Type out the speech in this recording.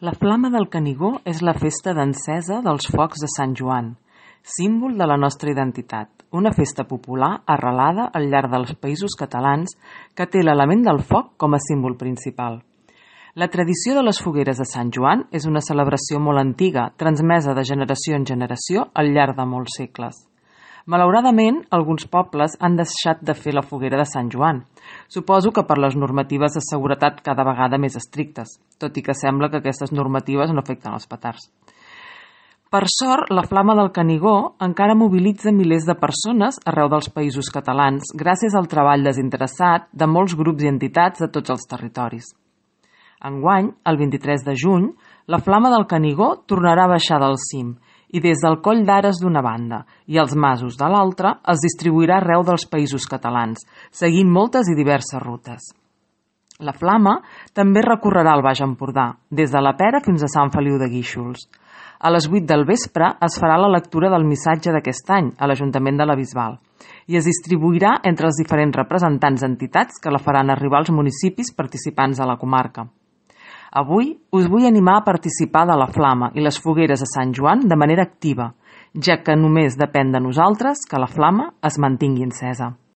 La Flama del Canigó és la festa d'encesa dels focs de Sant Joan, símbol de la nostra identitat, una festa popular arrelada al llarg dels països catalans que té l'element del foc com a símbol principal. La tradició de les fogueres de Sant Joan és una celebració molt antiga, transmesa de generació en generació al llarg de molts segles. Malauradament, alguns pobles han deixat de fer la foguera de Sant Joan. Suposo que per les normatives de seguretat cada vegada més estrictes, tot i que sembla que aquestes normatives no afecten els petards. Per sort, la Flama del Canigó encara mobilitza milers de persones arreu dels països catalans gràcies al treball desinteressat de molts grups i entitats de tots els territoris. Enguany, el 23 de juny, la Flama del Canigó tornarà a baixar del cim i des del Coll d'Ares d'una banda i els Masos de l'altra es distribuirà arreu dels països catalans, seguint moltes i diverses rutes. La Flama també recorrerà el Baix Empordà, des de la Pera fins a Sant Feliu de Guíxols. A les 8 del vespre es farà la lectura del missatge d'aquest any a l'Ajuntament de la Bisbal i es distribuirà entre els diferents representants d'entitats que la faran arribar als municipis participants de la comarca. Avui us vull animar a participar de la Flama i les fogueres de Sant Joan de manera activa, ja que només depèn de nosaltres que la Flama es mantingui encesa.